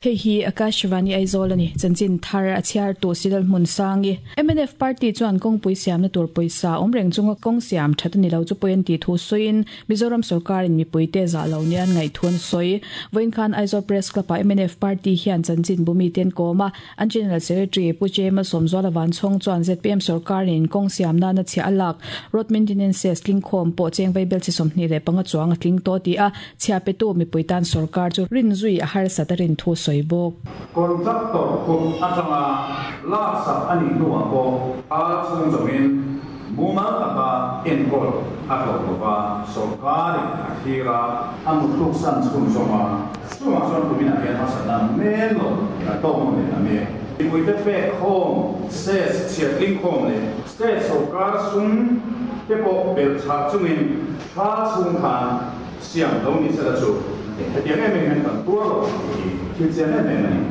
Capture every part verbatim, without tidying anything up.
Hei hi Akashvani Aizawl ani chanchin thar a chhiar tu Sidal Hmun Sangi M N F party chuan kawngpui siamna tur pawisa awm reng chunga kawng siam that ani lo chu pawi an tih thu sawiin Mizoram sorkarin mipuite zah lo nia an ngaih thu an sawi. Vawiin khan Aizawl Press Club ah M N F party hian chanchin bumi te an kawm a, an General Secretary Pu J Malsawmzuala Vanchhawng chuan Z P M sorkarin kawng siam nana chhiah a lak road maintenance cess tlingkhawm pawh cheng vaibel chi sawmhnih leh panga chuang a tling tawh ti a, chhiah petu mipui tan sorkar chu rinzui a harsat a rin thu sawi bawk. Contractor kut atanga laksak a nih hnuah pawh a chhung zawmin mumal taka enkawl a hlawh lova, sorkarin a thlir a, a mutthluksan chhunzawm a, chungah chuan kuminah hian harsatna men lo a tawk nawn leh ta mek. Mipuite pek khawm cess chhiah tlingkhawm leh state sorkar sum te pawh belhchhah chungin thla chhung khan siam lo ni sela chu hetiang em em hian kan tuar lo tih hi thil chiang em em a ni.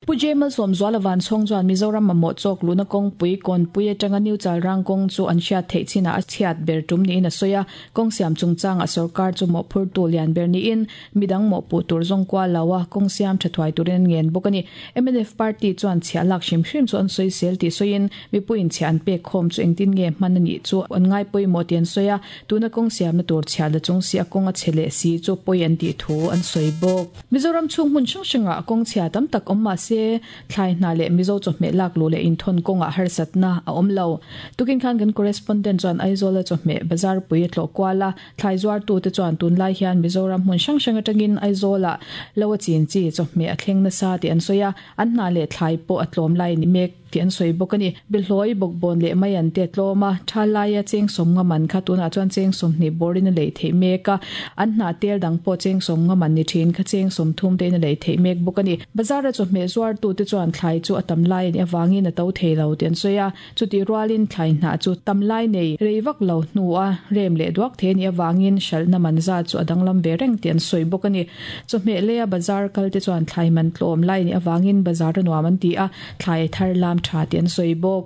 Pu J Malsawmzuala Vanchhawng chuan Mizoram mamawh chawk luhna kawngpui Kawnpui atanga New Chalrang kawng chu an hriat theih chinah a chhiat ber tum niin a sawi a, kawng siam chungchangah sorkar chu mawhphurtu lian ber niin midang mawhpuh tur zawng kual lo a, kawng siam tha thuai turin an ngen bawk a ni. M N F party chuan chhiah lak hrim hrim chu an sawisel tih sawiin mipuiin chhiah an pek khawm chu engtin nge hman a nih chu an ngai pawimawh tih an sawi a, tuna kawng siamna tur chhiah la chung si a kawng a chhe leh si chu pawi an tih thu an sawi bawk. Mizoram chhung hmun hrang hrangah kawng chhia tam tak awm mah se thlai hna leh Mizo chawhmeh lak luh leh inthawn kawngah harsatna a awm lo. Tukin khan kan correspondent chuan Aizawla chawhmeh bazar pui a tlawh kual a, thlai zuartute chuan tunlai hian Mizoram hmun hrang hrang atangin Aizawlah lo a chin chi chawhmeh a thleng nasa tih an sawi a, an hna leh thlai pawh a tlawm lai ni mek tih an sawi bawk a ni. Behlawi bawkbawn leh mai an te tlawm a, tha laia cheng sawm nga man kha tunah chuan cheng sawmhnih bawrin a lei theih mek a, an hnah tel dang pawh cheng sawm nga man ni thin kha cheng sawmthum tein a lei theih mek bawk a ni. Bazara chawhmeh zuartute chuan thlai chu a tam lai a nih avangin a to thei lo tih an sawi a, chutih rualin thlai hnah chu tam lai nei rei vak lo hnu a rem leh duak thei a nih avangin hralhna man zat chu a danglam ve reng tih an sawi bawk a ni. Chawhmeh leia bazar kalte chuan thlai man tlawm lai a nih avangin bazar a nuam an ti a, thlai thar lam tha tih an sawi bawk.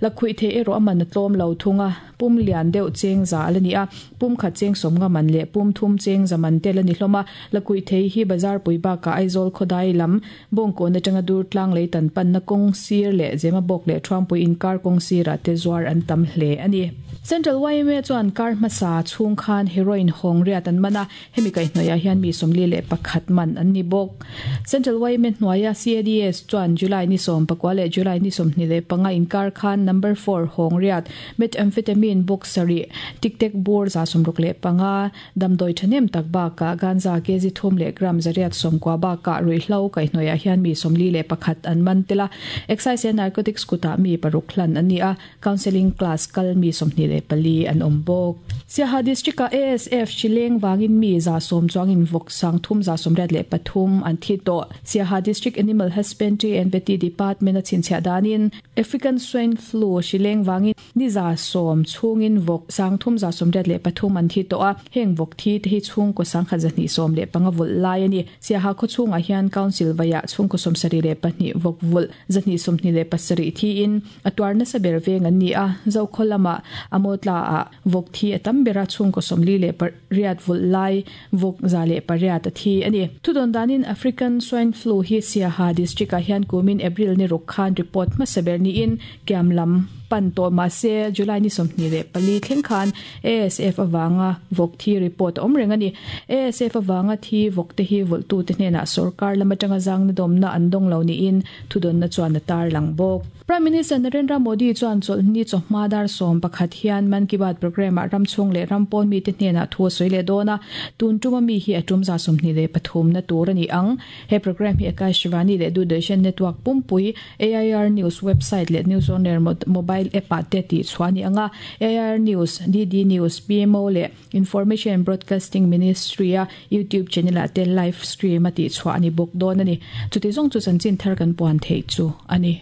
Lakhuih theih erawh a man a tlawm lo thung a, pum lian deuh cheng za a la ni a, pum khat cheng sawm nga man leh pum thum cheng za man te la ni hlawm a. Lakhuih thei hi bazar pui bakah Aizawl khawdai lam Bawngkawn atanga Durtlang lei tan panna kawng sir leh Zemabawk leh Thuampui inkar kawng sirah te zuar an tam hle a ni. Central Y M A chuan kar hmasa chhung khan heroin hawng riat an man a, hemi kaihhnawihah hian mi sawmli leh pakhat man an ni bawk. Central Y M A hnuaia C A D S chuan July ni sawm pakua leh July ni sawmhnih leh panga inkar khan number four hawng riat, methamphetamine box sarih, tic tac bur za sawmruk leh panga, damdawi thahnem tak bakah ganja kg thum leh gram zariat sawmkua bakah ruihhlo kaihhnawihah hian mi sawmli leh pakhat an man tel a. Excise and Narcotics kutah mi paruk hlan an ni a, counselling class kal mi sawmhnih leh pali an awm bawk. Siaha district-a A S F hrileng vangin mi za sawm chuangin vawk sang thum za sawmriat leh pathum an thi tawh. Siaha District Animal Husbandry and Vety Department a chhinchhiah danin African Swine Flu hrileng vangin ni za sawm chhungin vawk sang thum za sawmriat leh pathum an thi tawh a, heng vawk thi te hi chhungkaw sangkhat zahnih sawm leh panga vulh lai a ni. Siaha khawchhungah hian council vaiah chhungkaw sawmsarih leh pahnih vawk vulh zahnih sawmhnih leh pasarih thiin a tuar nasa ber veng an ni a, Zokhaw lamah Amawtla ah vawk thi a tam bera chhungkaw sawmli leh pariat vulh lai vawk za leh pariat a thi a ni. Thudawn danin African Swine Flu hi Siaha district ah hian kumin April ni ruk khan report hmasa ber niin kiam lam pan tawh mah se July ni sawmhnih leh pali thleng khan A S F avanga vawk thi report a awm reng a ni. A S F avanga thi vawk te hi vulhtute hnenah sorkar lam atanga zangna dawmna an dawng lo niin thudawnna chuan a tar lang bawk. Prime Minister Narendra Modi chuan chawlhni chawhma dar sawm pakhat hian Mann Ki Baat program ah ram chhung leh ram pawn mite hnenah thu a sawi leh dawn a, tun tuma mi hi a tum za sawmhnih leh pathum na tur a ni ang. He program hi Akashvani leh Doordarshan network pumpui, A I R News website leh News On Air mobile app ah te tih chhuah a ni ang a, A I R News, D D News, P M O leh Information and Broadcasting Ministry a YouTube channel ah te live stream a tih chhuah a ni bawk dawn a ni. Chuti zawng chu chanchin thar kan puan theih chu a ni.